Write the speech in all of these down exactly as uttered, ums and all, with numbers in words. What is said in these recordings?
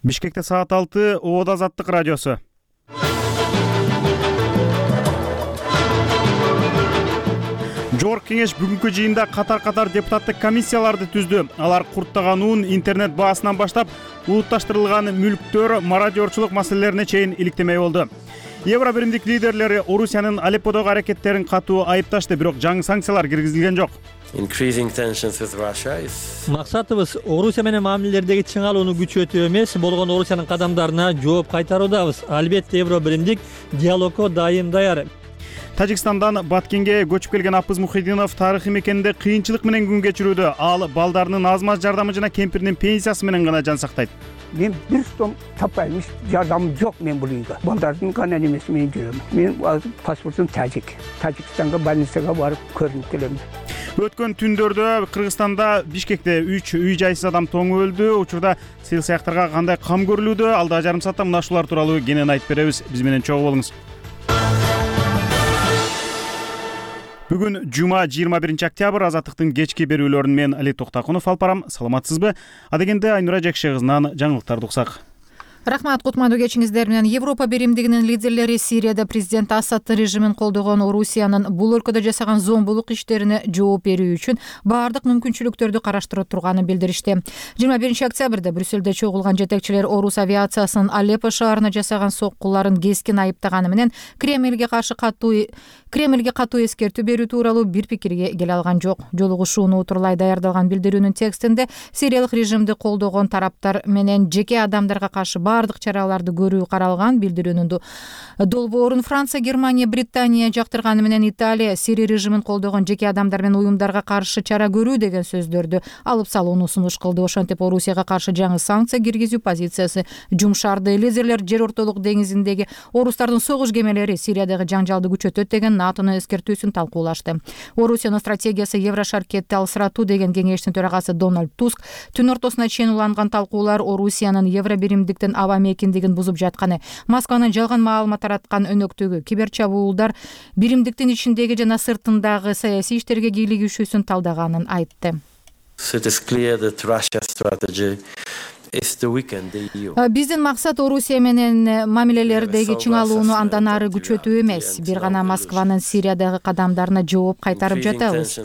Бишкекте саат алты, Обода Азаттык радиосу. Жогорку кеңеш бүгүнкү жыйында катар-катар депутаттык комиссияларды түздү. Алар курттаган уун, интернет баасынан баштап улутташтырылган мүлктөр, мародёрчулук маселелерине чейин иликтемей болду. Евро биримдик лидерлери Орусиянын Алепподогу аракеттерин катуу айыпташты, бирок жаңы санкциялар киргизилген жок. Максатыбыз Орусия менен мамилелердеги чыңалууну күчөтүү эмес, болгон Орусиянын кадамдарына жооп кайтаруудабыз. Албетте Евро биримдик диалогго дайым даяр. Тажикстандан Баткенге көчүп келген Апыз Мухиддинов тарыхый мекенде кыйынчылык менен күн кечирүүдө. Ал балдарынын аз-маз жардамы жана кемпиринин пенсиясы менен гана жан сактайт. Мен бир сом таппайм, жардамым жок мен бул үйгө. Балдардын гана эмес мен жүрөм. Мен паспортум тажик. Тажикстанга больницага барып көрүнүп келем. Өткөн түндөрдө Кыргызстанда Бишкекте үч үй жайсыз адам тоң өлдү. Учурда сыйл-саяктарга кандай кам көрүлүүдө? Алда жарым саатта мына ушулар тууралуу кенен айтып беребиз. Биз менен чогуу болуңуз. Бүгүн жума жыйырма биринчи октябрь. Азаттыктын кечки берүүлөрүн мен Али Токтакунов алып барам. Саламатсызбы? Адегенде Айнура Жекше кызынан жаңылыктарды уксак. Рахмат, кутмандуу кечиңиздер менен. Европа биримдигинин лидерлери Сирияда президент Асаддын режимин колдогон Орусиянын бул өлкөдө жасаган зомбулук иштерине жооп берүү үчүн баардык мүмкүнчүлүктөрдү караштырып турганын билдиришти. жыйырма биринчи октябрда Брюссельде чогулган жетекчилер Орус авиациясынын Алеппо шаарына жасаган соккуларын кескин айыптаганы менен Кремлге каршы катуу Кремлге катуу эскертүү берүү тууралуу бир пикирге келе алган жок. Жолугушууну утурлай даярдалган билдирүүнүн текстинде Сириялык режимди колдогон тараптар менен жеке адамдарга каршы бардык чараларды көрүү каралган. Билдирүүнүн долбоорун Франция, Германия, Британия жактырганы менен Италия Сирия режимин колдогон жеке адамдар менен уюмдарга каршы чара көрүү деген сөздөрдү алып салууну сунуш кылды. Ошентип Орусияга каршы жаңы санкция киргизүү позициясы жумшарды. Лидерлер жер ортолук деңизиндеги орустардын согуш кемелери Сириядагы жаңжалды күчөтөт деген НАТОнун эскертүүсүн талкуулашты. Орусиянын стратегиясы Еврошаркетти алсыратуу деген кеңештин төрагасы Дональд Туск түн ортосуна чейин уланган талкуулар Орусиянын Евро биримдиктин аба мекендигин бузуп жатканы, Москванын жалган маалымат тараткан өнөктүгү, киберчабуулдар биримдиктин ичиндеги жана сыртындагы саясий иштерге кийлигишүүсүн талдаганын айтты. Биздин максат Орусия менен мамилелердеги чыңалууну андан ары күчөтүү эмес, бир гана Москванын Сириядагы кадамдарына жооп кайтарып жатабыз.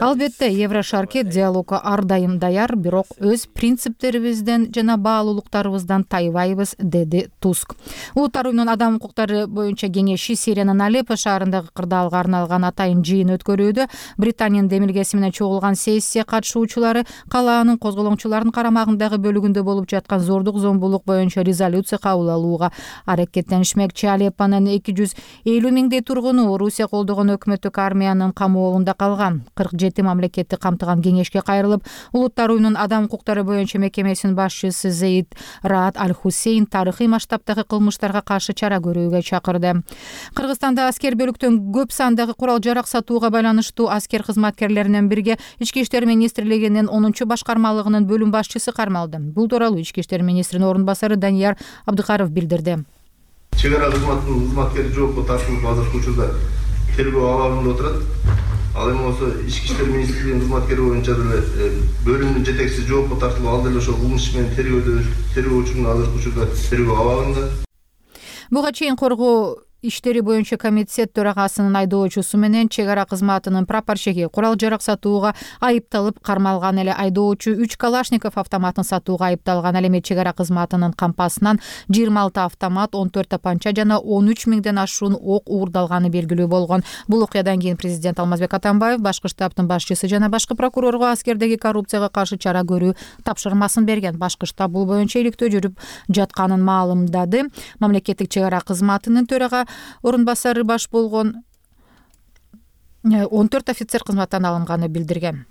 Албетте Еврошаркет диалогго ар дайым даяр, бирок өз принциптерибизден жана баалуулуктарыбыздан тайбайбыз, деди Туск. Улуттар уюмунун адам укуктары боюнча кеңеши Сириянын Алеппо шаарындагы кырдаалга арналган атайын жыйын өткөрүүдө. Британиянын демилгеси менен чогулган сессия катышуучулары калаанын козголоңчулардын карамагындагы бөлүгүндө болуп жаткан зордук зомбулук боюнча резолюция кабыл алууга аракеттенишмекчи. Алеппонун эки жүз элүү миңдей тургуну Орусия колдогон өкмөттүк армиянын камоолунда калган. кырк жети мамлекетти камтыган кеңешке кайрылып, Улуттар уюмунун адам укуктары боюнча мекемесинин башчысы Зейд Раат Аль-Хусейн тарыхый масштабтагы кылмыштарга каршы чара көрүүгө чакырды. Кыргызстанда аскер бөлүктөн көп сандагы курал жарак сатууга байланыштуу аскер кызматкерлеринен бирге Ички иштер министрлигинин онунчу башкармалыгынын бөлүм башчысы кармалды. Бул тууралуу Ички иштер министринин орун басары Данияр Абдыкаров билдирди. Чек ара кызматынын кызматкери жоопко тартылып азыркы учурда тергөө абагында отурат. Ал эми болсо Ички иштер министрлигинин кызматкери боюнча деле бөлүмдүн жетекчиси жоопко тартылып, ал деле ошол кылмыш иш менен тергөөдө тергөө учурунда азыркы учурда тергөө абагында. Буга чейин коргоо иштери боюнча комитет төрагасынын айдоочусу менен чек ара кызматынын прапорщиги курал жарак сатууга айыпталып кармалган. Эле айдоочу үч Калашников автоматын сатууга айыпталган. Ал эми чек ара кызматынын кампасынан жыйырма алты автомат, он төрт тапанча жана он үч миңден ашуун ок уурдалганы белгилүү болгон. Бул окуядан кийин президент Алмазбек Атамбаев башкы штабтын башчысы жана башкы прокурорго аскердеги коррупцияга каршы чара көрүү тапшырмасын берген. Башкы штаб бул боюнча иликтөө жүрүп жатканын маалымдады. Мамлекеттик чек ара кызматынын төрага орун басары баш болгон он төрт офицер кызматтан алынганы билдирген.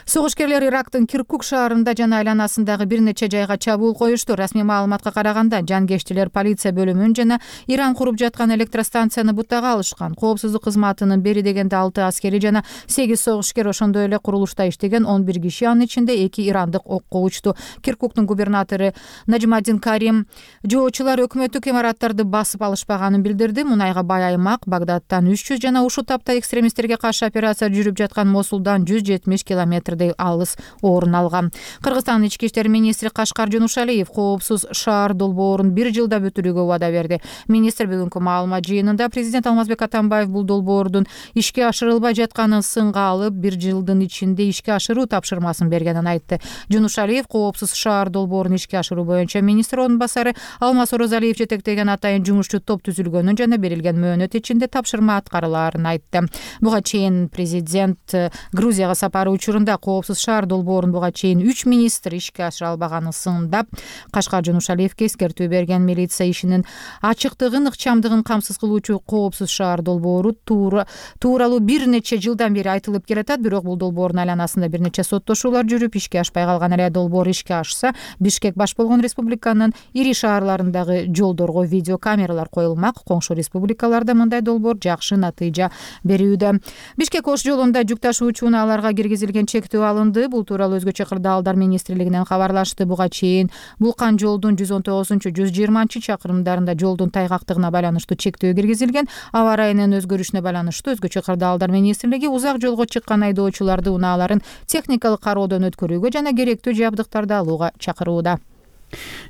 Согушкерлер Ирактын Киркук шаарында жана айланасындагы бир нече жайга чабуул коюшту. Расмий маалыматка караганда, жангештилер полиция бөлүмүн жана Иран куруп жаткан электростанцияны бутага алышкан. Коопсуздук кызматынын бери дегенде алты аскери жана сегиз согушкер, ошондой эле курулушта иштеген он бир киши, анын ичинде эки ирандык окко учту. Киркуктун губернатору Наджмадин Карим жоочулар өкмөттүк имараттарды басып алышпаганын билдирди. Мунайга бай аймак Багдадтан үч жүз жана ушул тапта экстремисттерге каршы операция жүрүп жаткан Мосулдан жүз жетимиш километр километрдей алыс орун алган. Кыргызстандын ички иштер министри Кашкар Жунушалиев коопсуз шаар долбоорун бир жылда бүтүрүүгө убада берди. Министр бүгүнкү маалымат жыйынында президент Алмазбек Атамбаев бул долбоордун ишке ашырылбай жатканын сынга алып, бир жылдын ичинде ишке ашыруу тапшырмасын бергенин айтты. Жунушалиев коопсуз шаар долбоорун ишке ашыруу боюнча министр орун басары Алмаз Орозалиев жетектеген атайын жумушчу топ түзүлгөнүн жана берилген мөөнөт ичинде тапшырма аткарылаарын айтты. Буга чейин президент Грузияга сапары учурунда коопсуз шаар долбоорун буга чейин үч министр ишке ашыра албаганын сындап, Кашкар Жунушалиевке эскертүү берген. Милиция ишинин ачыктыгын, ыкчамдыгын камсыз кылуучу коопсуз шаар долбоору туура тууралуу бир нече жылдан бери айтылып келатат, бирок бул долбоордун айланасында бир нече соттошуулар жүрүп, ишке ашпай калган. Эле долбоор ишке ашса, Бишкек баш болгон республиканын ири шаарларындагы жолдорго видео камералар коюлмак. Коңшу республикаларда мындай долбоор жакшы натыйжа берүүдө. Бишкек Ош жолунда жүк ташуучу унааларга киргизилген чектөө алынды. Бул тууралуу Өзгөчө кырдаалдар министрлигинен кабарлашты. Буга чейин Булкан жолдун жүз он тогузунчу жүз жыйырманчы чакырымдарында жолдун тайгактыгына байланыштуу чектөө киргизилген. Аба ырайынын өзгөрүшүнө байланыштуу Өзгөчө кырдаалдар министрлиги узак жолго чыккан айдоочуларды унааларын техникалык кароодон өткөрүүгө жана керектүү жабдыктарды алууга чакырууда.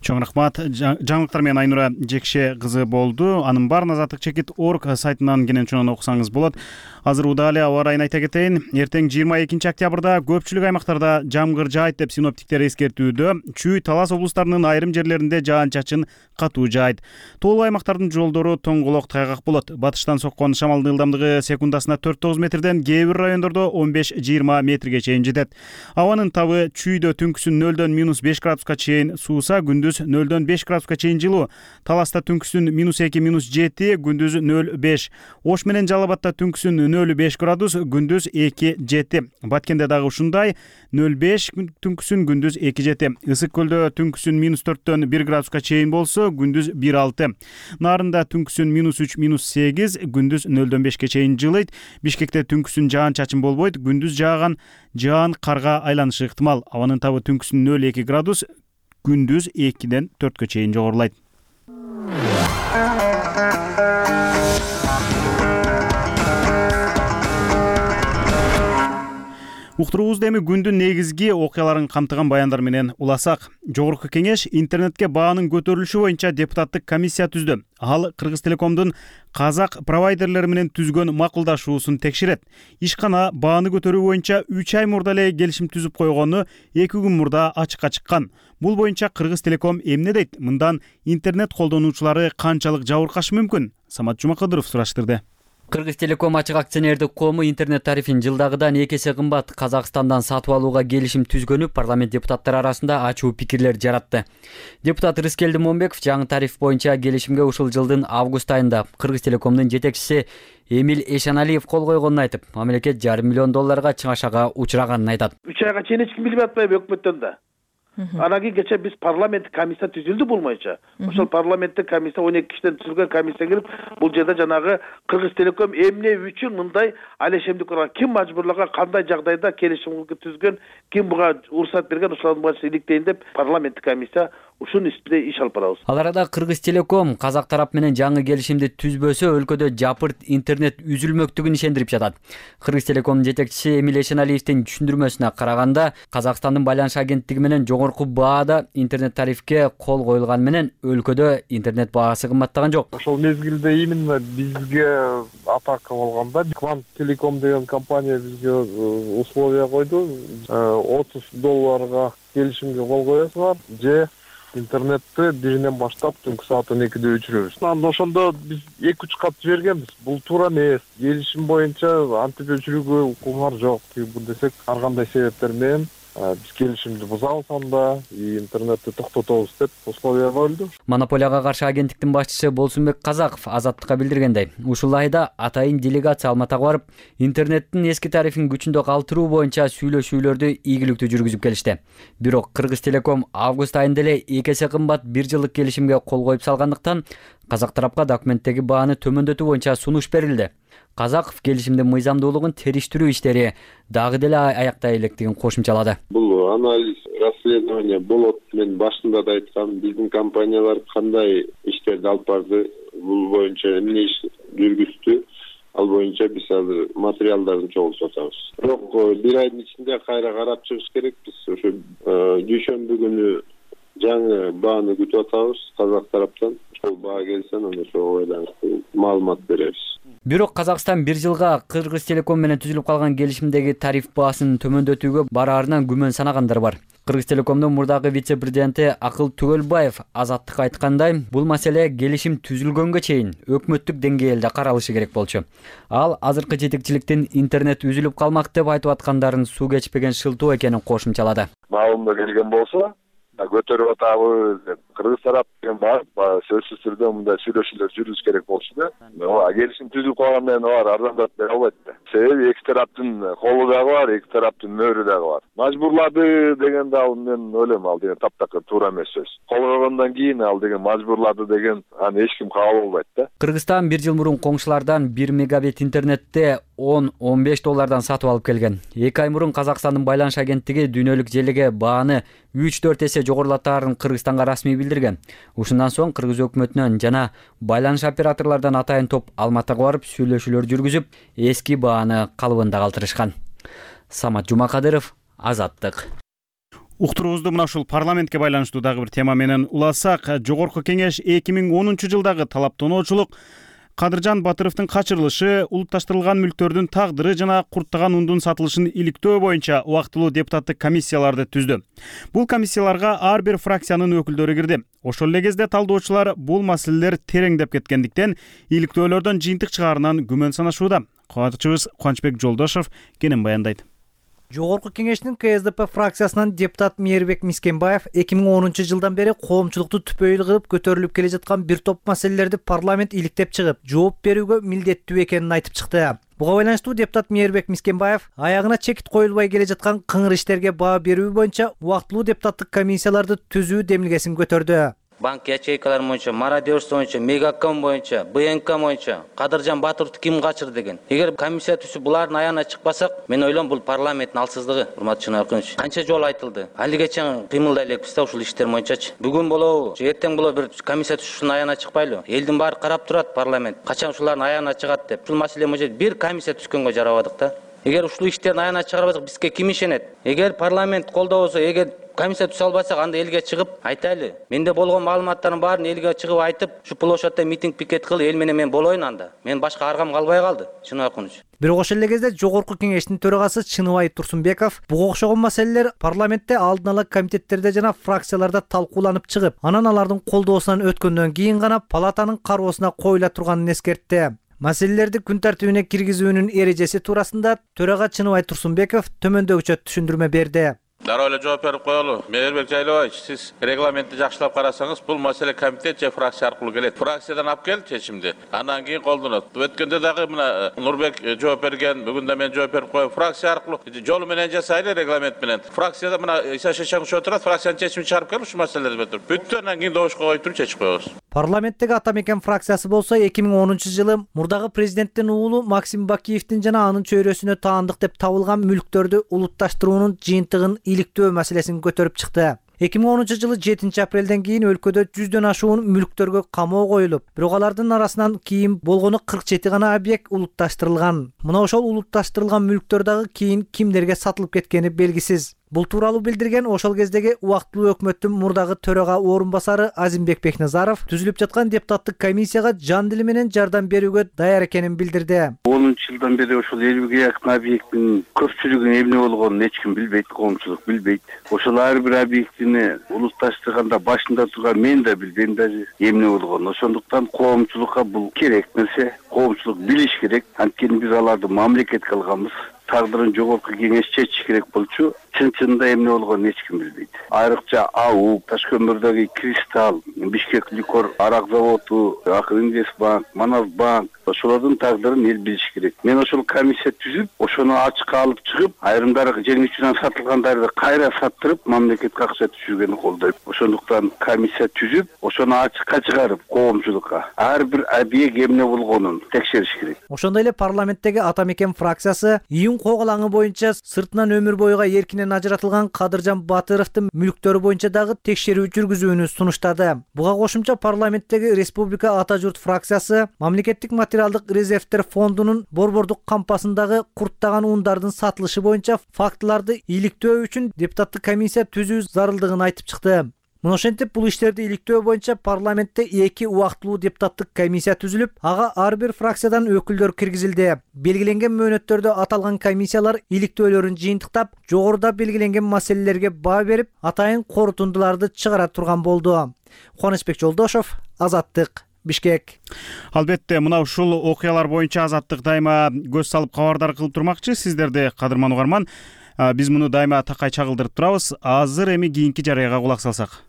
Чоң рахмат. Жаңылыктар менен Айнура Жекше кызы болду. Анын баарын азаттык чекит точка орг сайтынан кенен чоң окусаңыз болот. Азыр удале аба ырайын айта кетейин. Эртең жыйырма экинчи октябрда көпчүлүк аймактарда жамгыр жаайт деп синоптиктер эскертүүдө. Чүй, Талас облустарынын айрым жерлеринде жаан-чачын катуу жаайт. Тоолуу аймактардын жолдору тоңголок тайгак болот. Батыштан соккон шамалдын ылдамдыгы секундасына төрт тогуз метрден, кээ бир райондордо он беш жыйырма метрге чейин жетет. Абанын табы чүйдө түнкүсүн нөлдөн минус беш градуска чейин сууса, күндүз нөлдөн беш градуска чейин жылуу. Таласта түнкүсүн минус эки минус жети, күндүз нөл беш. Ош менен Жалал Абадта түнкүсүн нөл беш градус, күндүз эки жети. Баткенде дагы ушундай нөл беш түнкүсүн, күндүз эки жети. Ысык көлдө түнкүсүн минус төрттөн бир градуска чейин болсо, күндүз бир алты. Нарында түнкүсүн минус үч минус сегиз, күндүз нөлдөн бешке чейин жылыйт. Бишкекте түнкүсүн жаан-чачын болбойт, күндүз жааган жаан карга айланышы ыктымал. Абанын табы түнкүсүн нөл эки градус, күндүз экиден төрткө чейин жогорулайт. Уктуруубузду эми күндүн негизги окуяларын камтыган баяндар менен уласак. Жогорку кеңеш интернетке баанын көтөрүлүшү боюнча депутаттык комиссия түздү. Ал Кыргыз Телекомдун казак провайдерлери менен түзгөн макулдашуусун текшерет. Ишкана бааны көтөрүү боюнча үч ай мурда эле келишим түзүп койгону эки күн мурда ачыкка чыккан. Бул боюнча Кыргыз Телеком эмне дейт? Мындан интернет колдонуучулары канчалык жабыркашы мүмкүн? Самат Жумакадыров сураштырды. Кыргыз Телеком ачык акционердик коому интернет тарифин жылдагыдан эки эсе кымбат Казакстандан сатып алууга келишим түзгөнү парламент депутаттары арасында ачуу пикирлер жаратты. Депутат Рыскелди Момбеков жаңы тариф боюнча келишимге ушул жылдын август айында Кыргыз Телекомдун жетекчиси Эмил Эшаналиев кол койгонун айтып, мамлекет жарым миллион долларга чыгашага учураганын айтат. үч айга чейин эч ким билбей атпайбы өкмөттөн да. Анан кийин кече биз парламенттик комиссия түзүлдү бул боюнча. Ошол парламенттик комиссия он эки кишиден түзүлгөн комиссия кирип, бул жерде жанагы Кыргыз Телеком эмне үчүн мындай алешемдик кылган, ким мажбурлаган, кандай жагдайда келишим түзгөн, ким буга уруксат берген, ошолордун баарын иликтейин деп парламенттик комиссия ушунун үстүндө иш алып барабыз. Ал арада Кыргыз Телеком казак тарап менен жаңы келишимди түзбөсө өлкөдө жапырт интернет үзүлмөктүгүн ишендирип жатат. Кыргыз Телекомдун жетекчиси Эмил Эшеналиевдин түшүндүрмөсүнө караганда, Казакстандын байланыш агенттиги менен жогорку баада интернет тарифке кол коюлган менен өлкөдө интернет баасы кымбаттаган жок. Ошол мезгилде именно бизге атака болгондо Квант Телеком деген компания бизге условия койду. отуз долларга келишимге кол коесуңар же интернетти биринен баштап түнкү саат он экиде өчүрөбүз. Анда ошондо биз эки үч кат жибергенбиз. Бул туура эмес. Келишим боюнча антип өчүрүүгө укугуңар жок. Бул десек ар кандай себептер менен биз келишимди бузабыз анда, интернетти токтотобуз деп условия коюлду. Монополияга каршы агенттиктин башчысы Болсунбек Казаков Азаттыкка билдиргендей, ушул айда атайын делегация Алматага барып, интернеттин эски тарифин күчүндө калтыруу боюнча сүйлөшүүлөрдү ийгиликтүү жүргүзүп келишти. Бирок Кыргыз Телеком август айында эле эки эсе кымбат бир жылдык келишимге кол коюп салгандыктан казак тарапка документтеги бааны төмөндөтүү боюнча сунуш берилди. Казаков келишимдин мыйзамдуулугун териштирүү иштери дагы деле аяктай электигин кошумчалады. Бул анализ, расследование болот. Мен башында да айткам, биздин компаниялар кандай иштерди алып барды, бул боюнча эмне иш жүргүздү. Ал боюнча биз азыр материалдарды чогултуп атабыз. Бирок бир айдын ичинде кайра карап чыгыш керек. Биз ошо дүйшөмбү күнү жаңы бааны күтүп атабыз казак тараптан. Ошол баа келсе, анан ошого байланыштуу маалымат беребиз. Бирок Казакстан бир жылга Кыргыз Телеком менен түзүлүп калган келишимдеги тариф баасын төмөндөтүүгө бараарынан күмөн санагандар бар. Кыргыз Телекомдун мурдагы вице-президенти Акыл Түгөлбаев Азаттыкка айткандай, бул маселе келишим түзүлгөнгө чейин өкмөттүк деңгээлде каралышы керек болчу. Ал азыркы жетекчиликтин интернет үзүлүп калмак деп айтып аткандарын суу кечпеген шылтоо экенин кошумчалады. Маалымда келген болсо, көтөрүп атабыз деп кыргыз тарап деген бар, сөзсүз түрдө мындай сүйлөшүүлөр жүрүш керек болчу да. Келишим түзүлүп калган менен алар арзандатып бере албайт да. Себеби эки тараптын колу дагы бар, эки тараптын мөөрү дагы бар. Мажбурлады деген да мен ойлойм, ал деген таптакыр туура эмес сөз. Кол койгондон кийин ал деген мажбурлады деген аны эч ким кабыл албайт да. Кыргызстан бир жыл мурун коңшулардан бир мегабит интернетте он он беш доллардан сатып алып келген. эки ай мурун Казакстандын байланыш агенттиги дүйнөлүк желеге бааны үч төрт эсе жогорулатаарын Кыргызстанга расмий билдирген. Ушундан соң Кыргыз өкмөтүнөн жана байланыш операторлордон атайын топ Алматыга барып сүйлөшүүлөр жүргүзүп, эски бааны калыбында калтырышкан. Самат Жумакадыров, Азаттык. Уктуруубузду мына ушул парламентке байланыштуу дагы бир тема менен уласак, Жогорку Кеңеш эки миң онунчу жылдагы талаптоочулук Кадыржан Батыровдун качырылышы, улутташтырылган мүлктөрдүн тагдыры жана курттаган ундун сатылышын иликтөө боюнча убактылуу депутаттык комиссияларды түздү. Бул комиссияларга ар бир фракциянын өкүлдөрү кирди. Ошол эле кезде талдоочулар бул маселелер тереңдеп кеткендиктен иликтөөлөрдөн жыйынтык чыгаарынан күмөн санашууда. Катчыбыз Кубанычбек Жолдошов кенен баяндайт. Жогорку Кеңештин К С Д П фракциясынан депутат Мээрбек Мискенбаев эки миң онунчу жылдан бери коомчулукту түпөйүл кылып көтөрүлүп келе жаткан бир топ маселелерди парламент иликтеп чыгып, жооп берүүгө милдеттүү экенин айтып чыкты. Буга байланыштуу депутат Мээрбек Мискенбаев аягына чекит коюлбай келе жаткан кыңыр иштерге баа берүү боюнча убактылуу депутаттык комиссияларды түзүү демилгесин көтөрдү. Банк ячейкалар боюнча, мародерство боюнча, Мегаком боюнча, Б Н К боюнча Кадыржан Батыровду ким качырды деген. Эгер комиссия түзүп булардын аягына чыкпасак, мен ойлойм бул парламенттин алсыздыгы, урматтуу чынаркыныч. Канча жолу айтылды. Али кечен кыймылдай элекпиз да ушул иштер боюнчачы. Бүгүн болобу, же эртең болобу бир комиссия түзүшүнүн аягына чыкпайлы. Элдин баары карап турат парламент. Качан ушулардын аягына чыгат деп. Ушул маселе боюнча бир комиссия түзгөнгө жарабадык да. Эгер ушул иштердин аягына чыгарбасак, бизге ким ишенет? Эгер парламент колдобосо, эгер комиссия түзө албасак, анда элге чыгып айтайлы. Менде болгон маалыматтардын баарын элге чыгып айтып, ушу площадьта митинг пикет кыл, эл менен мен болоюн анда. Мен башка аргам калбай калды, чын акыныч. Бирок ошол эле кезде Жогорку Кеңештин төрагасы Чыныбай Турсунбеков буга окшогон маселелер парламентте алдын ала комитеттерде жана фракцияларда талкууланып чыгып, анан алардын колдоосунан өткөндөн кийин гана палатанын кароосуна коюла турганын эскертти. Маселелерди күн тартибине киргизүүнүн эрежеси туурасында төрага Чыныбай Турсунбеков төмөндөгүчө түшүндүрмө берди. Дароо эле жооп берип коелу. Мээрбек Жайлабаевич, сиз регламентти жакшылап карасаңыз, бул маселе комитет же фракция аркылуу келет. Фракциядан алып кел чечимди, андан кийин колдонот. Өткөндө дагы мына Нурбек жооп берген, бүгүн да мен жооп берип коем. Фракция аркылуу жолу менен жасайлы, регламент менен. Фракцияда мына Иса Шешенович отурат, фракциянын чечимин чыгарып келип ушул маселелерди бүтүп. Бүттү, андан кийин добушка коюп туруп чечип коебуз. Парламенттеги Ата Мекен фракциясы болсо эки миң онунчу жылы мурдагы президенттин уулу Максим Бакиевдин жана анын чөйрөсүнө таандык деп табылган мүлктөрдү улутташтыруунун жыйынтыгын иликтөө маселесин көтөрүп чыкты. эки миң онунчу жылы жетинчи апрелден кийин өлкөдө жүздөн ашуун мүлктөргө камоо коюлуп, бирок алардын арасынан кийин болгону кырк жети гана объект улутташтырылган. Мына ошол улутташтырылган мүлктөр дагы кийин кимдерге сатылып кеткени белгисиз. Бул тууралуу билдирген ошол кездеги убактылуу өкмөттүн мурдагы төрага орун басары Азимбек Бекназаров түзүлүп жаткан депутаттык комиссияга жан дили менен жардам берүүгө даяр экенин билдирди. онунчу жылдан бери ошол элүүгө жакын объекттин көпчүлүгүн эмне болгонун эч ким билбейт, коомчулук билбейт. Ошол ар бир объектини улутташтырганда башында турган мен да билбейм даже эмне болгонун. Ошондуктан коомчулукка бул керек нерсе, коомчулук билиш керек. Анткени биз аларды мамлекетке алганбыз. Тагдырын Жогорку Кеңеш чечиш керек болчу. Чын-чынында эмне болгонун эч ким билбейт. Айрыкча АУ, Ташкөмүрдөгү Кристалл, Бишкек Ликор арак заводу, Акинвестбанк, Манасбанк, ошолордун тагдырын эл билиш керек. Мен ошол комиссия түзүп, ошону ачыкка алып чыгып, айрымдары жеңүүчүнөн сатылгандарды кайра саттырып, мамлекетке акча түшүргөнү колдойм. Ошондуктан комиссия түзүп, ошону ачыкка чыгарып, коомчулукка ар бир объект эмне болгонун текшериш керек. Ошондой эле парламенттеги Ата Мекен фракциясы июнь Ошонун коголаңы боюнча сыртынан өмүр боюга эркинен ажыратылган Кадыржан Батыровдун мүлктөрү боюнча дагы текшерүү жүргүзүүнү сунуштады. Буга кошумча парламенттеги Республика Ата журт фракциясы Мамлекеттик материалдык резервдер фондунун борбордук кампасындагы курттаган ундардын сатылышы боюнча фактыларды иликтөө үчүн депутаттык комиссия түзүү зарылдыгын айтып чыкты. Мына ошентип бул иштерди иликтөө боюнча парламентте эки убактылуу депутаттык комиссия түзүлүп, ага ар бир фракциядан өкүлдөр киргизилди. Белгиленген мөөнөттөрдө аталган комиссиялар иликтөөлөрүн жыйынтыктап, жогоруда белгиленген маселелерге баа берип, атайын корутундуларды чыгара турган болду. Кубанычбек Жолдошов, Азаттык, Бишкек. Албетте, мына ушул окуялар боюнча Азаттык дайыма көз салып кабардар кылып турмакчы. Сиздерди, кадырман угарман, биз муну дайыма такай чагылдырып турабыз. Азыр эми кийинки жарыяга кулак салсак.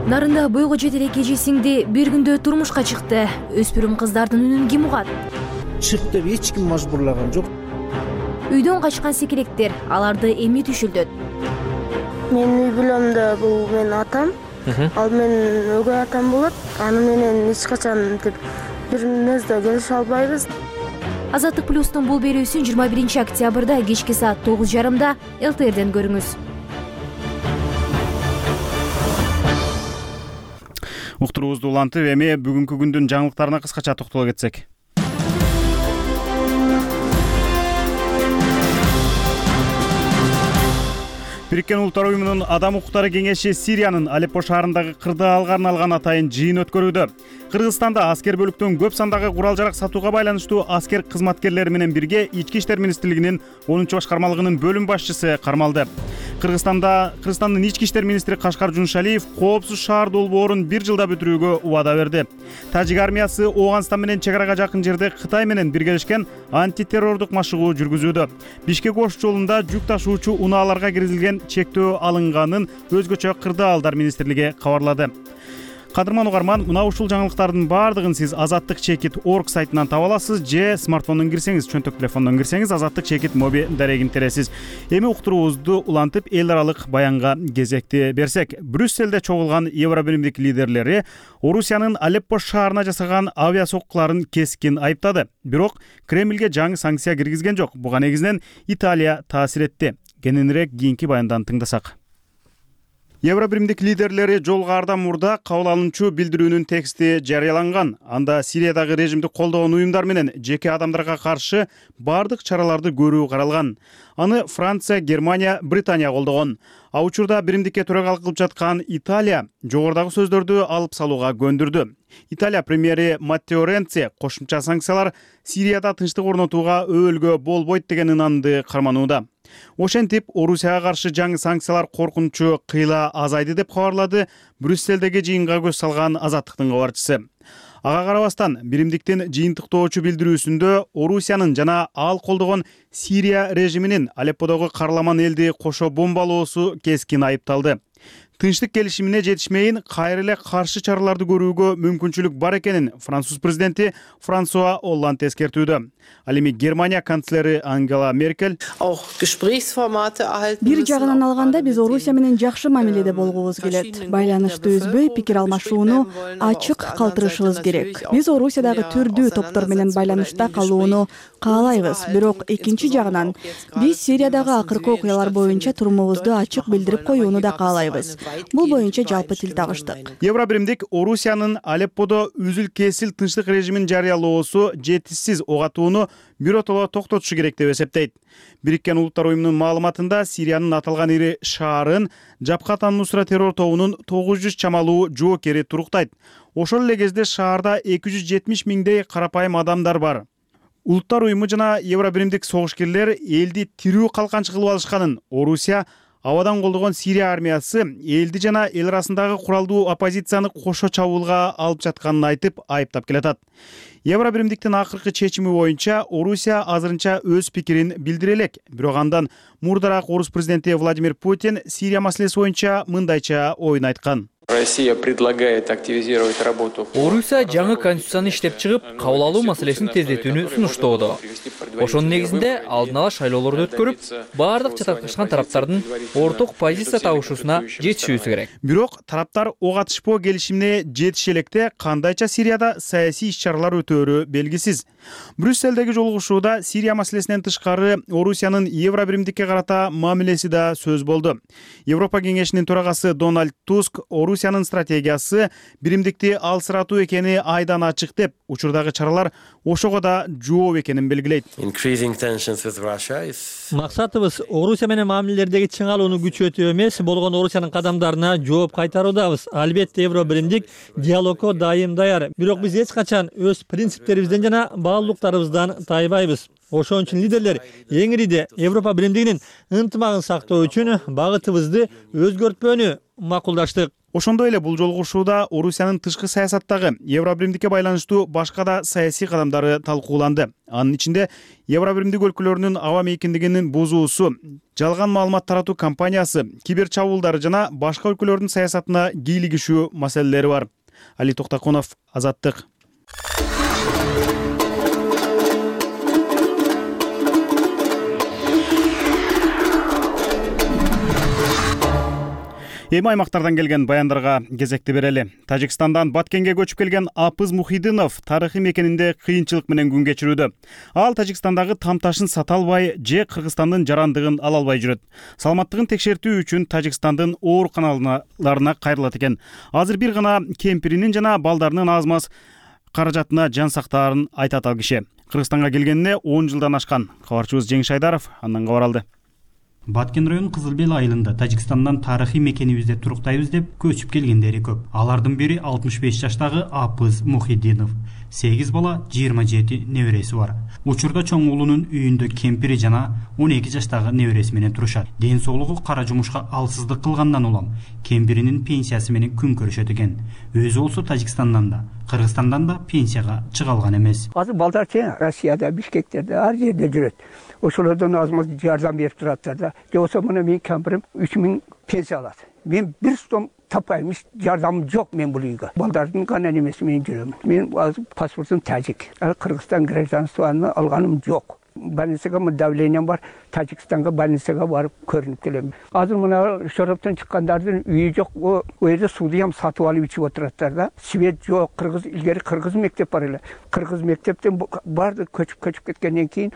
Нарында бойго жете элек эже сиңди бир күндө турмушка чыкты. Өспүрүм кыздардын үнүн ким угат? Чык деп эч ким мажбурлаган жок. Үйдөн качкан секелектер, аларды эмне түшүлдөт? Мен үй бүлөмдө бул менин атам, ал менин өгөй атам болот. Аны менен эч качан деп бир нерсе келише албайбыз. Азаттык плюстун бул берүүсүн жыйырма биринчи октябрда кечки саат тогуз жарымда эл тэ эрден көрүңүз. Уктуруубузду улантып, эми бүгүнкү күндүн жаңылыктарына кыскача токтоло кетсек. Бириккен Улуттар уюмунун Адам укуктары кеңеши Сириянын Алеппо шаарындагы кырдаалга арналган атайын жыйын өткөрүүдө. Кыргызстанда аскер бөлүктөн көп сандагы курал-жарак сатууга байланыштуу аскер кызматкерлери менен бирге Ички иштер министрлигинин онунчу башкармалыгынын бөлүм башчысы кармалды. Кыргызстанда Кыргызстандын Ички иштер министри Кашкар Жуншалиев коопсуз шаар долбоорун бир жылда бүтүрүүгө убада берди. Тажик армиясы Ооганстан менен чек арага жакын жерде Кытай менен биргелешкен антитеррордук машыгуу жүргүзүүдө. Бишкек-Ош жолунда жүк ташуучу унааларга киргизилген чектөө алынганын өзгөчө кырдаалдар министрлиги кабарлады. Кадырман угарман, мына ушул жаңылыктардын баардыгын сиз азаттык чекит точка орг сайтынан таба аласыз же смартфондон кирсеңиз, чөнтөк телефондон кирсеңиз азаттык чекит моби дарегин тересиз. Эми уктуруубузду улантып эл аралык баянга кезекти берсек, Брюсселде чогулган Евробиримдик лидерлери Орусиянын Алеппо шаарына жасаган авиа соккуларын кескин айыптады. Бирок Кремлге жаңы санкция киргизген жок. Буга негизинен Италия таасир этти. Кененирээк кийинки баяндан тыңдасак. Евробиримдик лидерлери жолго ардан мурда кабыл алынчу билдирүүнүн тексти жарыяланган. Анда Сириядагы режимди колдогон уюмдар менен жеке адамдарга каршы бардык чараларды көрүү каралган. Аны Франция, Германия, Британия колдогон. А учурда биримдикке төрагалык кылып жаткан Италия жогорудагы сөздөрдү алып салууга көндүрдү. Италия премьери Маттео Ренци кошумча санкциялар Сирияда тынчтык орнотууга өбөлгө болбойт деген ынанды карманууда. Ошентип, Орусияга каршы жаңы санкциялар коркунучу кыйла азайды деп кабарлады Брюсселдеги жыйынга көз салган Азаттыктын кабарчысы. Ага карабастан, биримдиктин жыйынтыктоочу билдирүүсүндө Орусиянын жана ал колдогон Сирия режиминин Алепподогу карламан элди кошо бомбалоосу кескин айыпталды. Тынчтык келишимине жетишмейин кайра эле каршы чараларды көрүүгө мүмкүнчүлүк бар экенин Француз президенти Франсуа Олланд эскертүүдө. Ал эми Германия канцлери Ангела Меркель бир жагынан алганда биз Орусия менен жакшы мамиледе болгубуз келет. Байланышты үзбөй пикир алмашууну ачык калтырышыбыз керек. Биз Орусиядагы түрдүү топтор менен байланышта калууну каалайбыз. Бирок экинчи жагынан биз Сириядагы акыркы окуялар боюнча турумубузду ачык билдирип коюуну да каалайбыз. Бул боюнча жалпы тил табыштык. Евробиримдик Орусиянын Алепподо үзүл-кесил тынчтык режимин жарыялоосу жетишсиз ого атууну биротоло токтотушу керек деп эсептейт. Бириккен Улуттар уюмунун маалыматында Сириянын аталган ири шаарын Жабхат ан-Нусра террор тобунун тогуз жүз чамалуу жоокери туруктайт. Ошол эле кезде шаарда эки жүз жетимиш миңдей карапайым адамдар бар. Улуттар уюму жана Евробиримдик согушкерлер элди тирүү калканчы кылып алышканын, Орусия абадан колдогон Сирия армиясы элди жана эл арасындагы куралдуу оппозицияны кошо чабуулга алып жатканын айтып айыптап келатат. Евробиримдиктин акыркы чечими боюнча Орусия азырынча өз пикирин билдире элек. Бирок андан мурдараак орус президенти Владимир Путин Сирия маселеси боюнча мындайча оюн айткан. Россия предлагает активизировать работу. Орусия жаңы конституцияны иштеп чыгып, кабыл алуу маселесин тездетүүнү сунуштоодо. Ошонун негизинде алдын ала шайлоолорду өткөрүп, баардык чатакташкан тараптардын орток позиция табышуусуна жетишүүсү керек. Бирок тараптар ок атышпоо келишимине жетише электе кандайча Сирияда саясий иш-чаралар өтөөрү белгисиз. Брюсселдеги жолугушууда Сирия маселесинен тышкары Орусиянын Евробиримдикке карата мамилеси да сөз болду. Европа кеңешинин төрагасы Дональд Туск Орусиянын стратегиясы биримдикти алсыратуу экени айдан ачык деп, учурдагы чаралар ошого да жооп экенин белгилейт. Максатыбыз Орусия менен мамилелердеги чыңалууну күчөтүү эмес, болгон Орусиянын кадамдарына жооп кайтаруудабыз. Албетте Евробиримдик диалогко дайым даяр. Бирок биз эч качан өз принциптерибизден жана баалуулуктарыбыздан тайбайбыз. Ошон үчүн лидерлер эңириде Европа биримдигинин ынтымагын сактоо үчүн багытыбызды өзгөртпөөнү макулдаштык. Ошондой эле бул жолугушууда Орусиянын тышкы саясаттагы Евробиримдикке байланыштуу башка да саясий кадамдары талкууланды. Анын ичинде Евробиримдик өлкөлөрүнүн аба мейкиндигинин бузуусу, жалган маалымат таратуу кампаниясы, кибер чабуулдар жана башка өлкөлөрдүн саясатына кийлигишүү маселелери бар. Али Токтакунов, Азаттык. Эми аймактардан келген баяндарга кезекти берели. Тажикстандан Баткенге көчүп келген Апыз Мухидинов тарыхый мекенинде кыйынчылык менен күн кечирүүдө. Ал Тажикстандагы тамташын сата албай, же Кыргызстандын жарандыгын ала албай жүрөт. Саламаттыгын текшертүү үчүн Тажикстандын ооруканаларына кайрылат экен. Азыр бир гана кемпиринин жана балдарынын аз-маз каражатына жан сактаарын айтат ал киши. Кыргызстанга келгенине он жылдан ашкан. Кабарчыбыз Жеңиш Айдаров андан кабар алды. Баткен району Кызылбел айылында Тажикстандан тарыхый мекенибизде туруктайбыз деп көчүп келгендери көп. Алардын бири алтымыш беш жаштагы Апыз Мухидинов. сегиз бала, жыйырма жети небереси бар. Учурда чоң уулунун үйүндө кемпири жана он эки жаштагы небереси менен турушат. Ден соолугу кара жумушка алсыздык кылгандан улам кемпиринин пенсиясы менен күн көрүшөт экен. Өзү болсо Тажикстандан да, Кыргызстандан да пенсияга чыга алган эмес. Азыр балдар чейин Россияда, Бишкектерде, ар жерде жүрөт. Ошолордон аз-маз жардам берип тураттар да. Же болсо мына менин кемпирим үч миң пенсия алат. Мен бир сом таппайм, жардамым жок мен бул үйгө. Балдардын гана немеси менен жүрөм. Мен азыр паспортум тажик. Кыргызстан гражданствону алганым жок. Больницага давлением бар, Тажикстанга больницага барып көрүнүп келем. Азыр мына Шороптон чыккандардын үйү жок, о жерде сууду ham сатып алып ичип отураттар да. Свет жок, кыргыз илгери кыргыз мектеп бар эле. Кыргыз мектептен барды көчүп-көчүп кеткенден кийин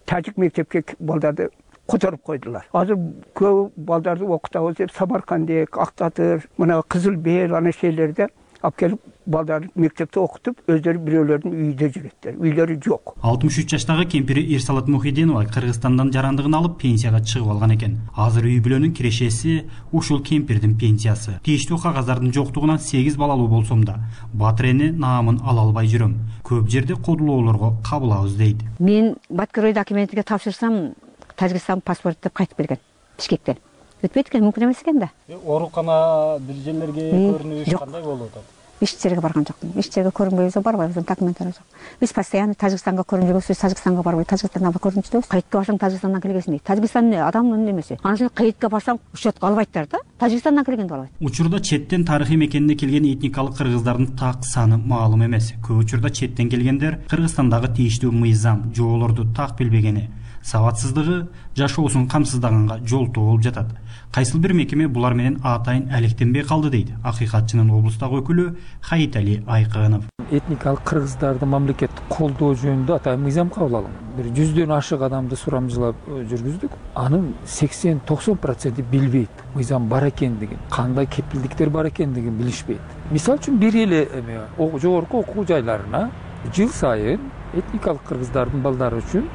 тажик мектепке балдарды которуп койдулар. Азыр көп балдарды окутабыз деп Самаркандек, Актатыр, мына Кызылбел ана шейлерде алып келип балдарды мектепте окутуп, өздөрү бирөөлөрдүн үйүндө жүрөттөр. Үйлөрү жок. алтымыш үч жаштагы кемпири Ирсалат Мухидинова Кыргызстандан жарандыгын алып пенсияга чыгып алган экен. Азыр үй бүлөнүн кирешеси ушул кемпирдин пенсиясы. Тийиштүү кагаздардын жоктугунан сегиз балалуу болсом да, Батырене наамын ала албай жүрөм. Көп жерде кодулоолорго кабылабыз дейт. Мен Баткерой документиге тапшырсам, Тажикстан паспорт деп кайтып келген Бишкектен. Өтпөйт экен, мүмкүн эмес экен да. Оорукана бир жерлерге көрүнүш кандай болуп атат? Эч жерге барган жокмун. Эч жерге көрүнбөйбүз, барбайбыз, документтер жок. Биз постоянно Тажикстанга көрүнүп жүрөбүз, Тажикстанга барбай, Тажикстанга көрүнүп жүрөбүз. Кайтка барсаң Тажикстандан келгенсиң дейт. Тажикстан адамдын немеси. Анан сен кайтка барсаң учетко албайттар да. Тажикстандан келгенди албайт. Учурда четтен тарыхый мекенине келген этникалык кыргыздардын так саны маалым эмес. Көп учурда четтен келгендер Кыргызстандагы тийиштүү мыйзам, жоолорду так билбегени, сабатсыздыгы жашоосун камсыздаганга жолтоо болуп жатат. Кайсыл бир мекеме булар менен атайын алектенбей калды дейт акыйкатчынын облустагы өкүлү Хаитали Айкынов. Этникалык кыргыздарды мамлекеттик колдоо жөнүндө атайын мыйзам кабыл алган. Бир жүздөн ашык адамды сурамжылап жүргүздүк. Анын сексен токсон проценти билбейт мыйзам бар экендигин, кандай кепилдиктер бар экендигин билишпейт. Мисалы үчүн бир эле эме жогорку окуу жайларына жыл сайын этникалык кыргыздардын балдары үчүн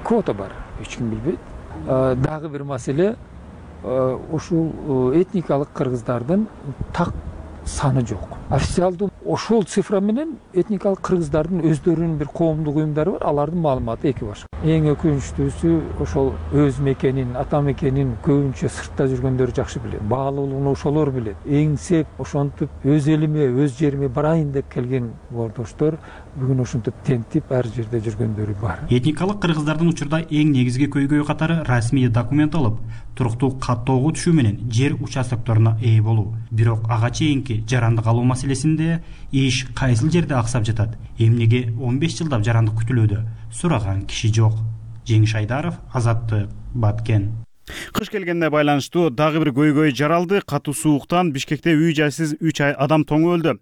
квота бар. Эч ким билбейт. Дагы бир маселе, ушул этникалык кыргыздардын так саны жок. Официалдуу ошол цифра менен этникалык кыргыздардын өздөрүнүн бир коомдук уюмдары бар, алардын маалыматы эки башка. Эң өкүнүчтүүсү ошол өз мекенин, ата мекенин көбүнчө сыртта жүргөндөр жакшы билет. Баалуулугун ошолор билет. Эңсеп, ошентип өз элиме, өз жериме барайын деп келген ордоштор бүгүн ошентип тентип ар жерде жүргөндөрү бар. Этникалык кыргыздардын учурда эң негизги көйгөй катары расмий документ алып, туруктуу каттоого түшүү менен жер участокторуна ээ болуу. Бирок ага чейинки жарандык алуу маселесинде иш кайсыл жерде аксап жатат? Эмнеге он беш жылдап жарандык күтүлүүдө? Сураган киши жок. Жеңиш Айдаров, Азаттык, Баткен. Кыш келгенге байланыштуу дагы бир көйгөй жаралды. Катуу сууктан Бишкекте үй жайсыз үч адам тоңуп өлдү.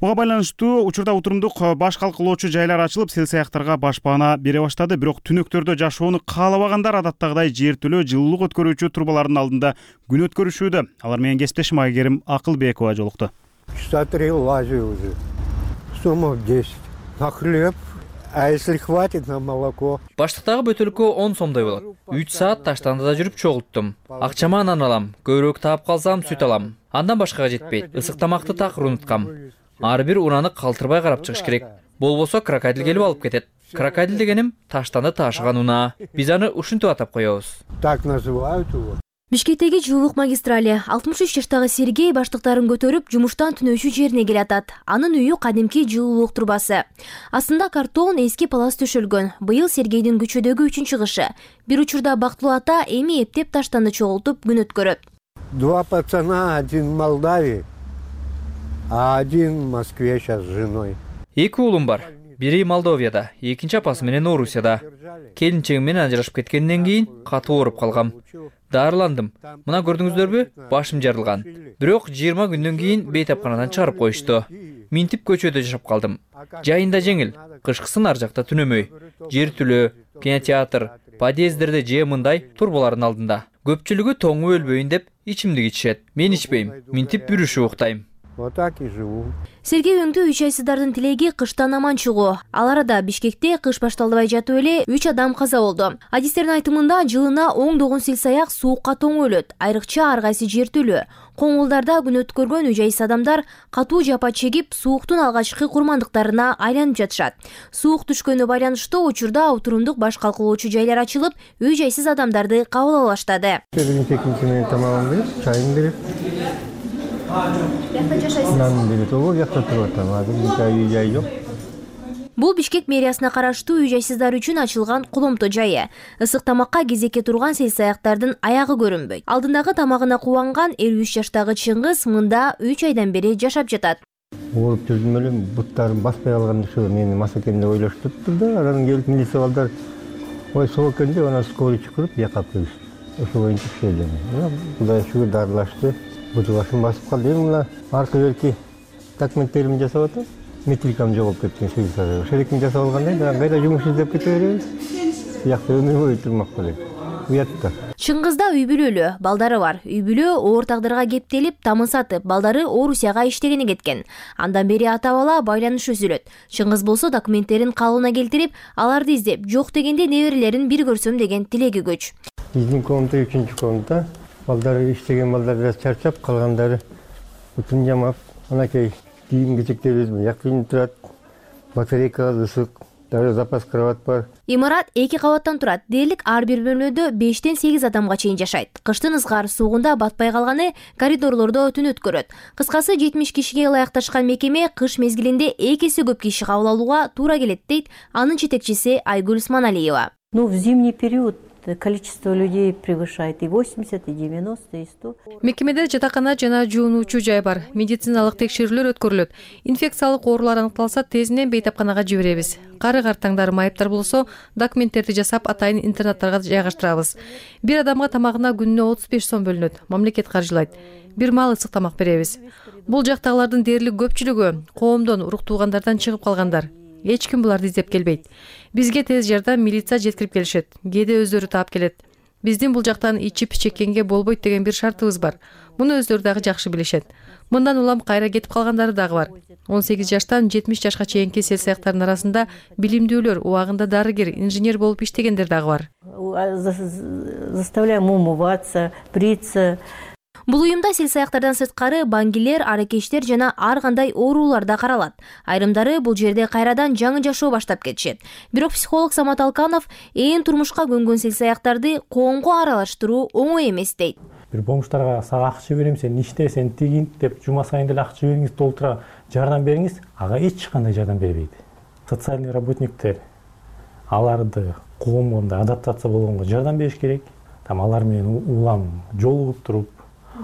Буга байланыштуу учурда отурумдук баш калкылоочу жайлар ачылып, сел-саякtarга башпаана бере баштады. Бирок түнөктөрдө жашоону каалабагандар адаттагыдай жертөлө жылуулук өткөрүүчү трубалардын алдында күн өткөрүшүүдө. Алар менен кесиптешим Айгерим Акылбекова жолукту. Смотри, лазю уже. Суммов десять. На хлеб. А если хватит на молоко? Баштыктагы бөтөлкө он сомдой болот. үч саат таштандыда жүрүп чогулттум. Акчама нан алам, көбүрөөк таап калсам сүт алам. Андан башкага жетпейт. Ысык тамакты такыр унуткам. Ар бир ураны калтырбай карап чыгыш керек. Болбосо крокодил келип алып кетет. Крокодил дегеним таштанды таашыган унаа. Биз аны ушинтип атап коебуз. Так называют его. Бишкектеги жылуулук магистрали алтымыш үч жаштагы Сергей баштыктарын көтөрүп жумуштан түнөөчү жерине келатат. Анын үйү кадимки жылуулук трубасы. Астында картон, эски палас төшөлгөн. Быйыл Сергейдин көчөдөгү үчүнчү кышы. Бир учурда бактылуу ата эми эптеп таштанды чогултуп күн өткөрөт. Два пацана, один в Молдавии, а один в Москве сейчас с женой. Эки уулум бар. Бири Молдовияда, экинчи апасы менен Орусияда. Келинчегим менен ажырашып кеткенден кийин катуу ооруп калгам. Дарыландым. Мына көрдүңүздөрбү? Башым жарылган. Бирок жыйырма күндөн кийин бейтапканадан чыгарып коюшту. Минтип көчөдө жашап калдым. Жайында жеңил, кышкысын ар жакта түнөмөй. Жертүлөө, кинотеатр, подъездерде же мындай турбалардын алдында. Көпчүлүгү тоңуп өлбөйүн деп ичимдик ичишет. Мен ичпейм. Минтип бүрүшүп уктайм. Вот так и живу. Сергей өңдүү үч айсыздардын тилеги кыштан аман чыгуу. Ал арада Бишкекте кыш башталбай жатып эле үч адам каза болду. Адистердин айтымында жылына оңдогон сел-саяк суукка тоңуп өлөт. Айрыкча ар кайсы жертөлө. Коңгулдарда күн өткөргөн үч айсыз адамдар катуу жапа чегип, сууктун алгачкы курмандыктарына айланып жатышат. Суук түшкөнү байланыштуу учурда отурумдук баш калкылоочу жайлар ачылып, үч айсыз адамдарды кабыл ала баштады. Тамагын берип, чайын берип. Нан берет, ого, жакта туруп атам. Азыр үй жай жок. Бул Бишкек мэриясына караштуу үй жайсыздар үчүн ачылган Куломто жайы. Ысык тамакка кезекке турган сел-саяктардын аягы көрүнбөйт. Алдындагы тамагына кубанган элүү үч жаштагы Чыңгыз мында үч айдан бери жашап жатат. Ооруп жүрдүм эле, буттарым баспай калган ушу мени мас экен деп ойлоштуптур да, анан келип милиция балдар ой соо экен деп анан скорый чакырып жакап келишти. Ошо боюнча келдим. Кудайга шүгүр дарылашты. Буту башым басып калды. Эми мына аркы берки документтеримди жасап атам. Метрикам жоголуп кеткен швейцарияга. Ошолекин жасап алгандай, анан кайда жумуш издеп кете беребиз. Биякта өмүр бою турмак болот. Уятта. Чыңгызда үй бүлөлүү, балдары бар. Үй бүлө оор тагдырга кептелип, тамын сатып, балдары Орусияга иштегени кеткен. Андан бери ата бала байланыш үзүлөт. Чыңгыз болсо документтерин калыбына келтирип, аларды издеп, жок дегенде неберелерин бир көрсөм деген тилеги көч. Биздин комната үчүнчү комната. Балдары иштеген балдар бираз чарчап, калгандары утун жамап, анакей кийим-кечектерибиз жакын турат. Батарейка, ысык, дагы запас кровать бар. Имарат эки кабаттан турат. Дээрлик ар бир бөлмөдө бештен сегиз адамга чейин жашайт. Кыштын ызгар суугунда батпай калганы коридорлордо түн өткөрөт. Кыскасы жетимиш кишиге ылайыкташкан мекеме кыш мезгилинде эки эсе көп киши кабыл алууга туура келет дейт анын жетекчиси Айгүл Сманалиева. Ну, в зимний период количество людей превышает и восемьдесят, и девяносто, и сто. Мекемеде жатакана жана жуунуучу жай бар. Медициналык текшерүүлөр өткөрүлөт. Инфекциялык оорулар аныкталса, тезинен бейтапканага жиберебиз. Кары картаңдар, майыптар болсо, документтерди жасап, атайын интернаттарга жайгаштырабыз. Бир адамга тамагына күнүнө отуз беш сом бөлүнөт. Мамлекет каржылайт. Бир маал ысык тамак беребиз. Бул жактагылардын дээрлик көпчүлүгү коомдон, урук туугандардан чыгып калгандар. Эч ким буларды издеп келбейт. Бизге тез жардам милиция жеткирип келишет. Кээде өздөрү таап келет. Биздин бул жактан ичип чеккенге болбойт деген бир шартыбыз бар. Муну өздөрү дагы жакшы билишет. Мындан улам кайра кетип калгандары дагы бар. он сегиз жаштан жетимиш жашка чейинки сел-саяктардын арасында билимдүүлөр, убагында дарыгер, инженер болуп иштегендер дагы бар. Заставляем умываться, бриться. Бул уюмда селсаяктардан сырткары баңгилер, аракештер жана ар кандай оорулар да каралат. Айрымдары бул жерде кайрадан жаңы жашоо баштап кетишет. Бирок психолог Самат Алканов ээн турмушка көнгөн селсаяктарды коомго аралаштыруу оңой эмес дейт. Бир бомждарга сага акча берем, сен иште, сен тигин деп жума сайын деле акча бериңиз, толтура жардам бериңиз, ага эч кандай жардам бербейт. Социальный работниктер аларды коомго адаптация болгонго жардам бериш керек. Там алар менен улам жолугуп туруп,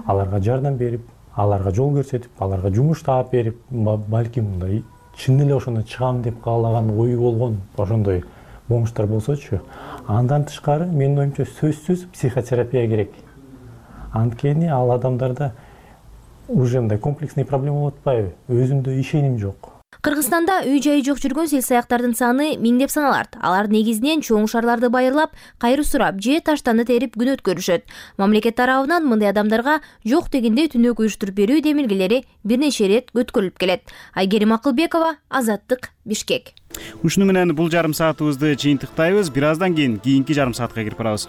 аларга жардам берип, аларга жол көрсөтүп, аларга жумуш таап берип, балким мындай чын эле ошондон чыгам деп каалаган ою болгон ошондой бомждар болсочу. Андан тышкары менин оюмча сөзсүз психотерапия керек. Анткени ал адамдарда уже мындай комплексный проблема болуп атпайбы? Өзүндө ишеним жок. Кыргызстанда үй жайы жок жүргөн селсаяктардын саны миңдеп саналат. Алар негизинен чоң шаарларды байырлап, кайры сурап же таштанды терип күн өткөрүшөт. Мамлекет тарабынан мындай адамдарга жок дегенде түнөк уюштуруп берүү демилгелери бир нече ирет өткөрүлүп келет. Айгерим Акылбекова, Азаттык, Бишкек. Ушуну менен бул жарым саатыбызды жыйынтыктайбыз. Бир аздан кийин кийинки жарым саатка кирип барабыз.